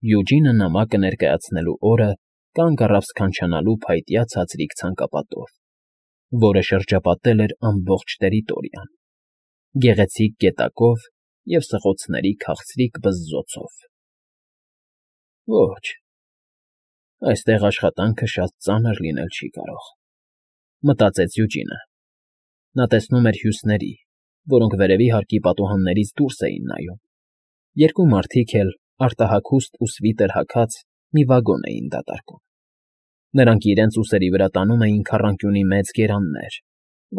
Յուջինը նամակը ներկայացնելու օրը կանգ առավ սքանչանալու փայտյա ցածրիկ ցանկապատով, որը շրջապատել էր ամբողջ տերիտորիան, գեղեցիկ գետակով և սղոցների քաղցրիկ բզզոցով։ Ոչ, այստեղ աշխատանքը շատ ծանր լինել չի կարող, մտածեց Յուջինը։ Նա տեսնում էր հյուսների, որոնք վերևի հարկի պատուհաններից դուրս էին նայում։ Երկու մարդիկ էլ արտահագուստ ու սվիտեր հագած մի վագոն էին դատարկում։ Նրանք իրենց ուսերի վրա տանում էին քառանկյունի մեծ գերաններ,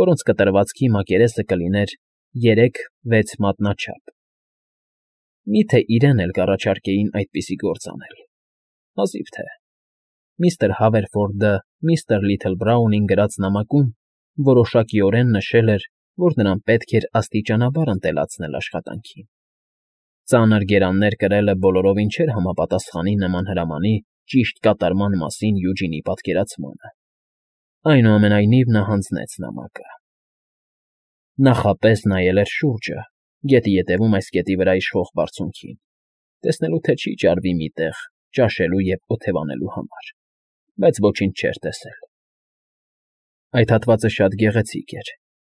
որոնց կտրվածքի մակերեսը կլիներ 3-6 մատնաչափ։ Միթե իրեն էլ կառաջարկեին այդպիսի գործ անել։ Հազիվ թե միստր Հավերֆորդը միստր Լիթլբրաունին գրած նամակում որոշակիորեն նշել էր, որ նրան պետք էր աստիճանաբար ընտելացնել աշխատանքին։ Ծանր գերաններ կրելը բոլորովին չէր համապատասխանի նման հրամանի ճիշտ կատարման մասին Յուջինի պատկերացմանը։ Այնուամենայնիվ նա հանձնեց նամակը։ Նախապես նայել էր շուրջը, գետի ետևում այս կետի վրա իշխող բարձունքին, տեսնելու թե չի ճարվի մի տեղ ճաշելու և օթևանելու համար, բայց ոչինչ չէր տեսել։ Այդ հատվածը շատ գեղեցիկ էր,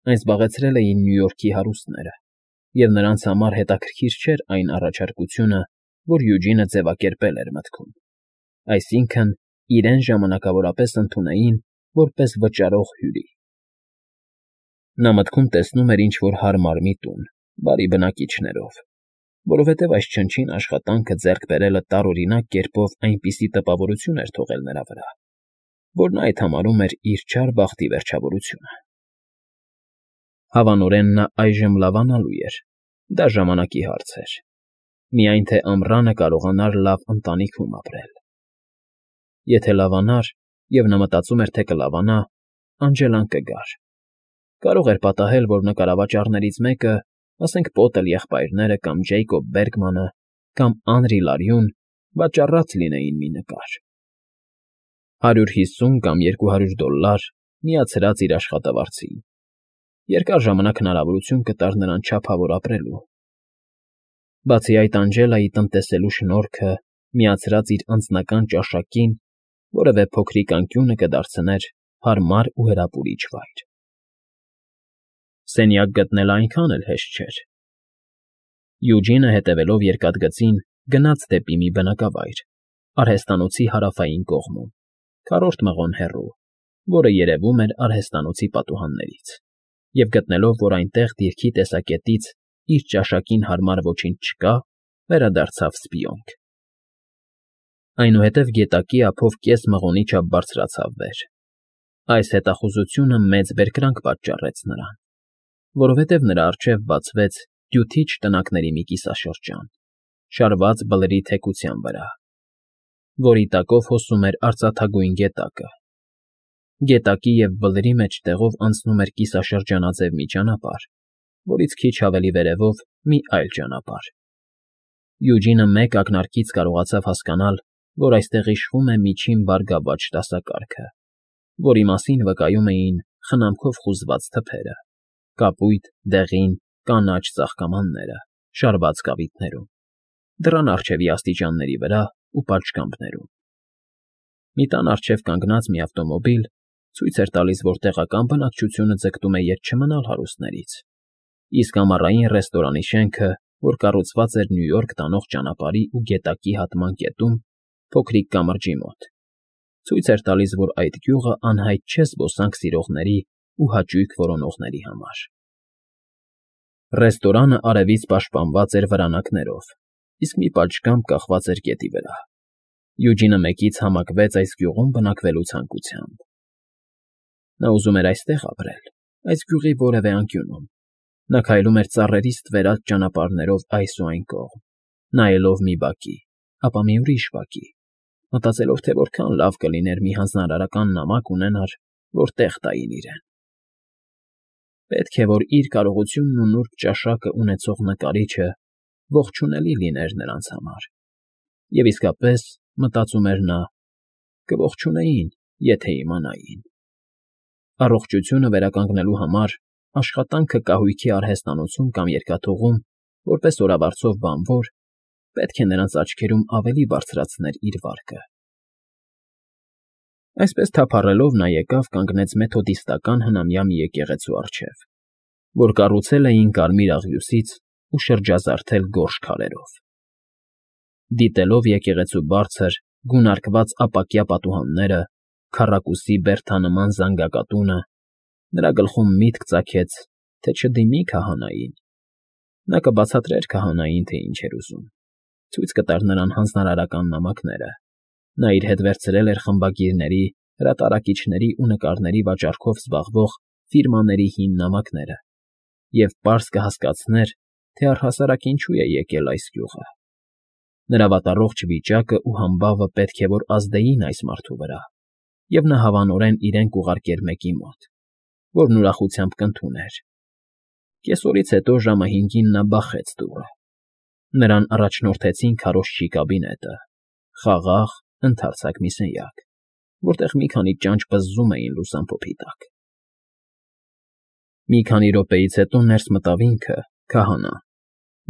այն զբաղեցրել էին Նյու Յորքի հարուստները, և նրանց համար հետաքրքիր չէր այն առաջարկությունը, որ Յուջինը ձևակերպել էր մտքում, այսինքն՝ իրեն ժամանակավորապես ընդունեին որպես վճարող հյուրի։ Նա մտքում տեսնում էր ինչ֊որ հարմար մի տուն, բարի բնակիչներով, որովհետև այս չնչին աշխատանքը ձեռք բերելը տարօրինակ կերպով այնպիսի տպավորություն էր թողել նրա վրա, որ նա այդ համարում էր իր չար բախտի վերջավորությունը։ Հավանորեն նա այժմ լավանալու էր, դա ժամանակի հարց էր, միայն թե ամռանը կարողանար լավ ընտանիքում ապրել։ Եթե լավանար, և նա մտածում էր, թե կլավանա, անջելան կգար։ Կարող էր պատահել, որ նկարավաճառներից մեկը, ասենք Պոտել եղբայրները կամ Ջեյկոբ Բերգմանը կամ Անրի Լարյուն վաճառած լինեին մի նկար։ $150 կամ $200 միացրած իր աշխատավարձին։ Երկար ժամանակ հնարավորություն կտար նրան չափավոր ապրելու։ Բացի այդ, Անջելայի տնտեսելու շնորհքը, միացրած իր անձնական ճաշակին, որևէ փոքրիկ անկյունը կդարձներ հարմար ու հրապուրիչ վայր։ Սենյակ գտնելն այնքան էլ հեշտ չէր։ Յուջինը, հետևելով երկաթգծին, գնաց դեպի մի բնակավայր, արհեստանոցի հարավային կողմում, քառորդ մղոն հեռու, որը երևում էր արհեստանոցի պատուհաններից, և գտնելով, որ այնտեղ դիրքի տեսակետից իր ճաշակին հարմար ոչինչ չկա, վերադարձավ սպիոնք։ Այնուհետև գետակի ափով կես մղոնի չափ բարձրացավ վեր։ Այս հետախուզությունը մեծ բերկրանք պատճառեց նրան, որովհետև նրա առջև բացվեց դյութիչ տնակների մի կիսաշրջան, շարված բլրի թեքության վրա, որի տակով հոսում էր արծաթագույն գետակը։ Գետակի և բլրի մեջտեղով անցնում էր կիսաշրջանաձև մի ճանապարհ, որից քիչ ավելի վերևով մի այլ ճանապարհ։ Յուջինը մեկ ակնարկից կարողացավ հասկանալ, որ այստեղ իշխում է միջին բարգավաճ դասակարգը, որի մասին վկայում էին խնամքով խուզված թփերը, կապույտ, դեղին, կանաչ ծաղկամանները, շարված կավիտներում, դռան առջևի աստիճանների վրա ու պատշգամբներում։ Մի տան առջև կանգնած մի ավտոմոբիլ ցույց էր տալիս, որ տեղական բնակչությունը ձգտում է ետ չմնալ հարուստներից, իսկ ամառային ռեստորանի շենքը, որ կառուցված էր Նյու Յորք տանող ճանապարհի ու գետակի հատման կետում, փոքրիկ կամրջի մոտ, ցույց էր տալիս, որ այդ գյուղը անհայտ չէ զբոսանք սիրողների ու հաճույք որոնողների համար։ Ռեստորանը արևից պաշտպանված էր վրանակներով, իսկ մի պատշգամբ կախված էր գետի վրա։ Յուջինը մեկից համակվեց այս գյուղում բնակվելու ցանկությամբ։ Նա ուզում էր այստեղ ապրել, այս գյուղի որևէ անկյունում։ Նա քայլում էր ծառերի ստվերած ճանապարհներով այս ու այն կողմ, նայելով մի բակի, ապա մի ուրիշ բակի, մտածելով, թե որքան լավ կլիներ մի հանձնարարական նամակ ունենար, որ տեղ տային իրեն։ Պետք է, որ իր կարողությունն ու նուրբ ճաշակը ունեցող նկարիչը ողջունելի լիներ նրանց համար։ Եվ իսկապես, մտածում էր նա, կողջունեին, եթե իմանային։ Առողջությունը վերականգնելու համար աշխատանքը կահույքի արհեստանոցում կամ երկաթուղում որպես օրավարձով բանվոր պետք է նրանց աչքերում ավելի բարձրացներ իր վարկը։ Այսպես թափառելով նա եկավ կանգնեց մեթոդիստական հնամյա մի եկեղեցու առջև, որ կառուցել էին կարմիր աղյուսից ու շրջազարդել գորշ քարերով։ Դիտելով եկեղեցու բարձր, գունարկված ապակյա պատուհանները, քառակուսի բերդանման զանգակատունը, նրա գլխում միտք ծագեց, թե չդիմի քահանային։ Նա կբացատրեր քահանային, թե ինչ էր ուզում, ցույց կտար նրան հանձնարարական նամակները։ Նա իր հետ վերցրել էր խմբագիրների, հրատարակիչների ու նկարների վաճառքով զբաղվող ֆիրմաների հին նամակները և պարզ կհասկացներ, թե առհասարակ ինչու է եկել այս գյուղը։ Նրա վատառողջ վիճակը ու համբավը պետք է որ ազդեին այս մարդու վրա, և նա հավանորեն իրեն կուղարկեր մեկի մոտ, որն ուրախությամբ կընդուներ։ Կեսօրից հետո ժամը 5-ին նա բախեց դուռը։ Նրան առաջնորդեցին քարոզչի կաբինետը, խաղաղ, ընդարձակ մի սենյակ, որտեղ մի քանի ճանճ պզզում էին լուսամփոփի տակ։ Մի քանի րոպեից հետո ներս մտավ ինքը, քահանան,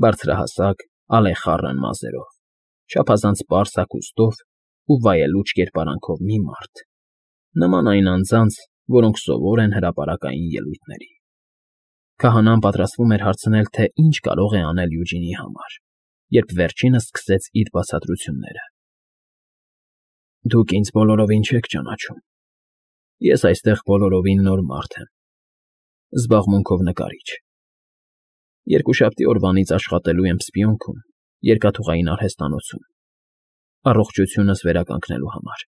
բարձրահասակ, ալեխառն մազերով, չափազանց պարզ հագուստով ու վայելուչ կերպարանքով մի մարդ, նման այն անձանց, որոնք սովոր են հրապարակային ելույթների։ Քահանան պատրաստվում էր հարցնել, թե ինչ կարող է անել Յուջինի համար, երբ վերջինս սկսեց իր բացատրությունները։ Դուք ինձ բոլորովին չեք ճանաչում։ Ես այստեղ բոլորովին նոր մարդ եմ, զբաղմունքով նկարիչ։ Երկուշաբթի օրվանից աշխատելու եմ Սպիոնքում, երկաթուղային արհեստանոցում, առողջությունս վերականգնելու համար։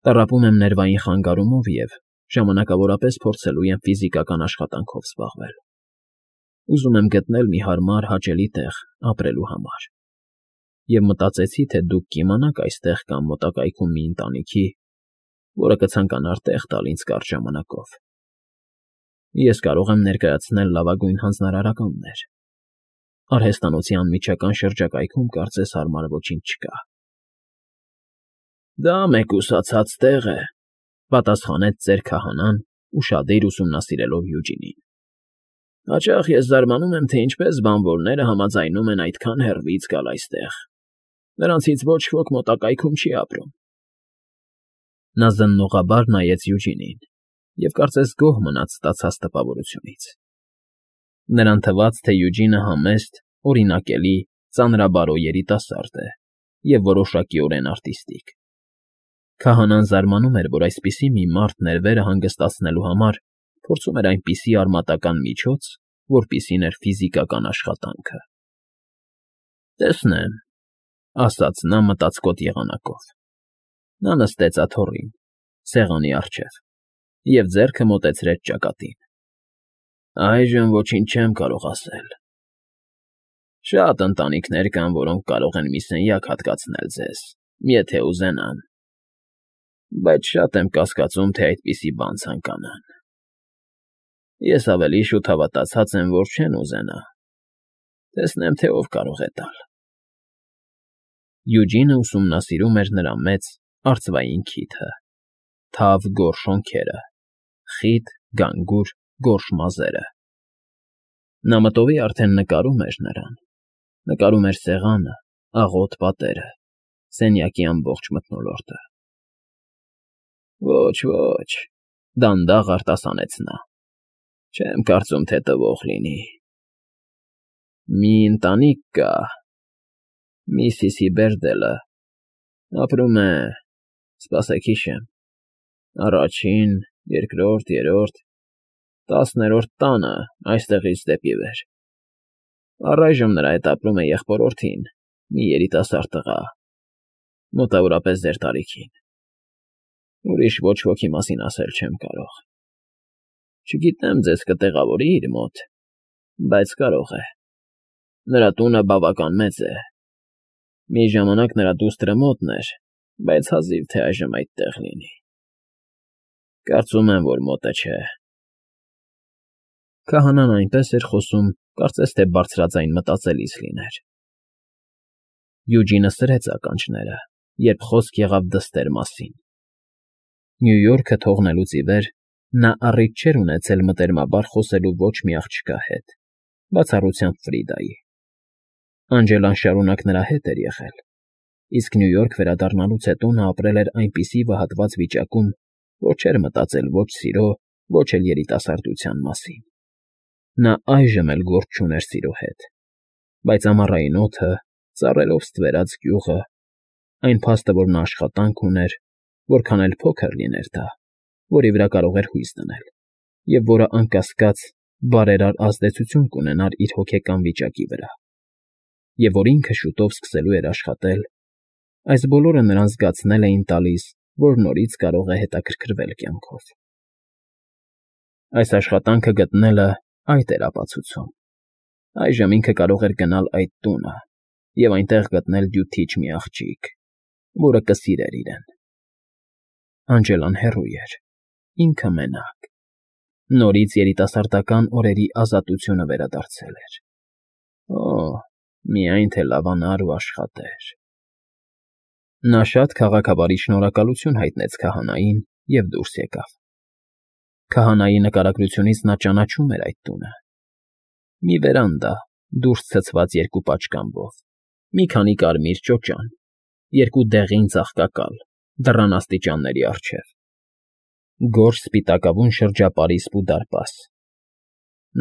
Տառապում եմ ներվային խանգարումով և ժամանակավորապես փորձելու եմ ֆիզիկական աշխատանքով զբաղվել։ Ուզում եմ գտնել մի հարմար, հաճելի տեղ ապրելու համար։ Եվ մտածեցի, թե դուք կիմանաք այստեղ կամ մոտակայքում մի ընտանիքի, որը կցանկանար տեղ տալ ինձ կարճ ժամանակով։ Ես կարող եմ ներկայացնել լավագույն հանձնարարականներ։ Արհեստանոցի անմիջական շրջակայքում կարծես հարմար ոչինչ չկա։ Դա մեկուսացած տեղ է, պատասխանեց ծեր քահանան, ուշադիր ուսումնասիրելով Յուջինին։ Հաճախ ես զարմանում եմ, թե ինչպես բանվորները համաձայնում են այդքան հեռվից գալ այստեղ։ Նրանցից ոչ ոք մոտակայքում չի ապրում։ Նա զննողաբար նայեց Յուջինին և կարծես գոհ մնաց ստացած տպավորությունից։ Նրան թվաց, թե Յուջինը համեստ, օրինակելի, ծանրաբարո երիտասարդ է և որոշակիորեն արտիստիկ։ Քահանան զարմանում էր, որ այսպիսի մի մարդ ներվերը հանգստացնելու համար փորձում էր այնպիսի արմատական միջոց, որպիսին էր ֆիզիկական աշխատանքը։ Տեսնեմ, ասաց նա մտածկոտ եղանակով։ Նա նստեց աթոռին, սեղանի առջև, և ձեռքը մոտեցրեց ճակատին։ Այժմ ոչինչ չեմ կարող ասել։ Շատ ընտանիքներ կան, որոնք կարող են մի սենյակ հատկացնել ձեզ, եթե ուզենան, բայց շատ եմ կասկածում, թե այդպիսի բան ցանկանան։ Ես ավելի շուտ հավատացած եմ, որ չեն ուզենա։ Տեսնեմ, թե ով կարող է տալ։ Յուջինը ուսումնասիրում էր նրա մեծ, արծվային քիթը, թավ գորշ շոնքերը, խիտ, գանգուր, գորշ մազերը։ Նա մտովի արդեն նկարում էր նրան, նկարում էր սեղանը, աղոտ պատերը, սենյակի ամբողջ մթնոլորտը։ Ոչ, դանդաղ արտասանեց նա։ Չեմ կարծում, թե տվող լինի։ Մի ընտանիք կա, Միսիսի Բերդելը, ապրում է, սպասեք հիշեմ, առաջին, երկրորդ, երրորդ, 10-րդ տանը, այստեղից դեպի վեր։ Առայժմ նրա հետ ապրում է եղբորորդին, մի երիտասարդ տղա, մոտավորապես ձեր տարիքին։ Ուրիշ ոչ ոքի մասին ասել չեմ կարող։ Չգիտեմ ձեզ կտեղավորի իր մոտ, բայց կարող է։ Նրա տունը բավական մեծ է։ Մի ժամանակ նրա դուստրը մոտն էր, բայց հազիվ թե այժմ այդտեղ լինի։ Կարծում եմ, որ մոտը չէ։ Քահանան այնպես էր խոսում, կարծես թե բարձրաձայն մտածելիս լիներ։ Յուջինը սրեց ականջները, երբ խոսք եղավ դստեր մասին։ Նյու Յորքը թողնելուց ի վեր նա առիթ չէր ունեցել մտերմաբար խոսելու ոչ մի աղջկա հետ, բացառությամբ Ֆրիդայի։ Անջելան շարունակ նրա հետ էր եղել, իսկ Նյու Յորք վերադառնալուց հետո նա ապրել էր այնպիսի վհատված վիճակում, որ չէր մտածել ոչ սիրո, ոչ էլ երիտասարդության մասին։ Նա այժմ էլ գործ չուներ սիրո հետ, բայց ամառային օդը, ծառերով ստվերած գյուղը, այն փաստը, որ նա աշխատանք ուներ, որքան էլ փոքր լիներ դա, որի վրա կարող էր հույս դնել, և որը, անկասկած, բարերար ազդեցություն կունենար իր հոգեկան վիճակի վրա, և որ ինքը շուտով սկսելու էր աշխատել, այս բոլորը նրան զգացնել էին տալիս, որ նորից կարող է հետաքրքրվել կյանքով։ Այս աշխատանքը գտնելը այդ էր ապացուցում։ Այժմ ինքը կարող էր գնալ այդ տունը և այնտեղ գտնել դյութիչ մի աղջիկ, որը կսիրեր իրեն։ Անջելան հեռու էր, ինքը մենակ։ Նորից երիտասարդական օրերի ազատությունը վերադարձել էր։ Օ՜, միայն թե լավանար ու աշխատեր։ Նա շատ քաղաքավարի շնորհակալություն հայտնեց քահանային և դուրս եկավ։ Քահանայի նկարագրությունից նա ճանաչում էր այդ տունը։ Մի վերանդա, դուրս ցցված երկու պատշգամբով, մի քանի կարմիր ճոճան, երկու դեղին ծաղկակալ, դռան աստիճանների առջև, գորշ սպիտակավուն շրջապարիսպ ու դարպաս։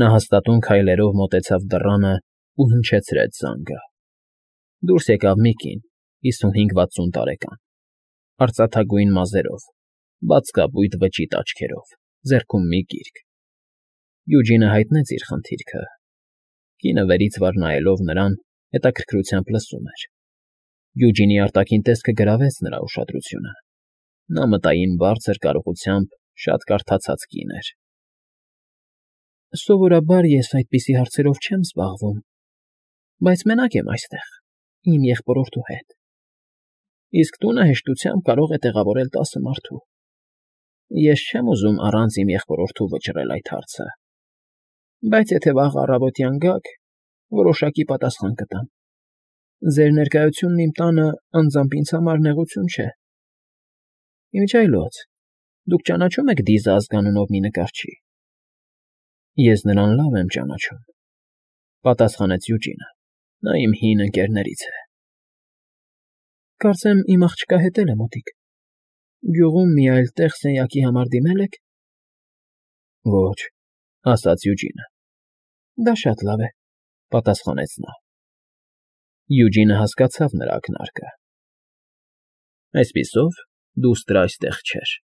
Նա հաստատուն քայլերով մոտեցավ դռանը ու հնչեցրեց զանգը։ Դուրս եկավ մի կին, 55-60 տարեկան, արծաթագույն մազերով, բացկապույտ վճիտ աչքերով, ձեռքում մի գիրք։ Յուջինը հայտնեց իր խնդիրքը։ Կինը վերից վար նայելով նրան, հետաքրքրությամբ լսում էր։ Յուջինի արտաքին տեսքը գրավեց նրա ուշադրությունը։ Նա մտային բարձր կարողությամբ շատ կարդացած կին էր։ Սովորաբար ես այդպիսի հարցերով չեմ զբաղվում, բայց մենակ եմ այստեղ, իմ եղբորորդու հետ։ Իսկ տունը հեշտությամբ կարող է տեղավորել 10 մարդու։ Ես չեմ ուզում առանց իմ եղբորորդու վճռել այդ հարցը, բայց եթե վաղ առավոտյան գաք, որոշակի պատասխան կտամ։ Ձեր ներկայությունն իմ տանը անձամբ ինձ համար նեղություն չէ։ Ինչ այլոց, դուք ճանաչո՞ւմ եք Դիզա ազգանունով մի նկարչի։ Ես նրան լավ եմ ճանաչում, պատասխանեց Յուջինը։ Նա իմ հին ընկերներից է։ Կարծեմ իմ աղջկա հետ էլ է մոտիկ։ Գյուղում մի այլ տեղ սենյակի համար դիմել եք։ Ոչ, ասաց Յուջինը։ Դա շատ լավ է, պատասխանեց նա։ Յուջինը հասկացավ նրա ակնարկը։ Այսպիսով, դուստր այստեղ չէր։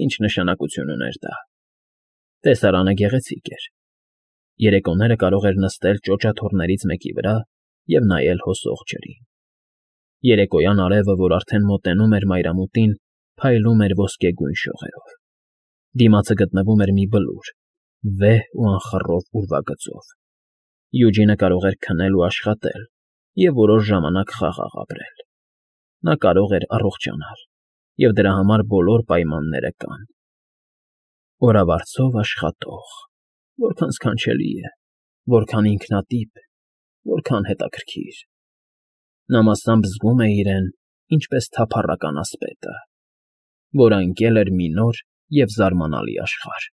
Ինչ նշանակություն ուներ դա։ Տեսարանը գեղեցիկ էր։ Երեկոները կարող էր նստել ճոճաթոռներից մեկի վրա և նայել հոսող ջրին։ Երեկոյան արևը, որ արդեն մոտենում էր մայրամուտին, փայլում էր ոսկեգույն շողերով։ Դիմացը գտնվում էր մի բլուր, վեհ ու անխռով ուրվագծով։ Յուջինը կարող էր քնել ու աշխատել և որոշ ժամանակ խաղաղ ապրել։ Նա կարող էր առողջանալ, և դրա համար բոլոր պայմանները կան։ Օրավարձով աշխատող, որքան սքանչելի է, որքան ինքնատիպ, որքան հետաքրքիր։ Նա մասամբ զգում է իրեն, ինչպես թափառական ասպետը, որ անկել էր մի նոր և զարմանալի աշխարհ։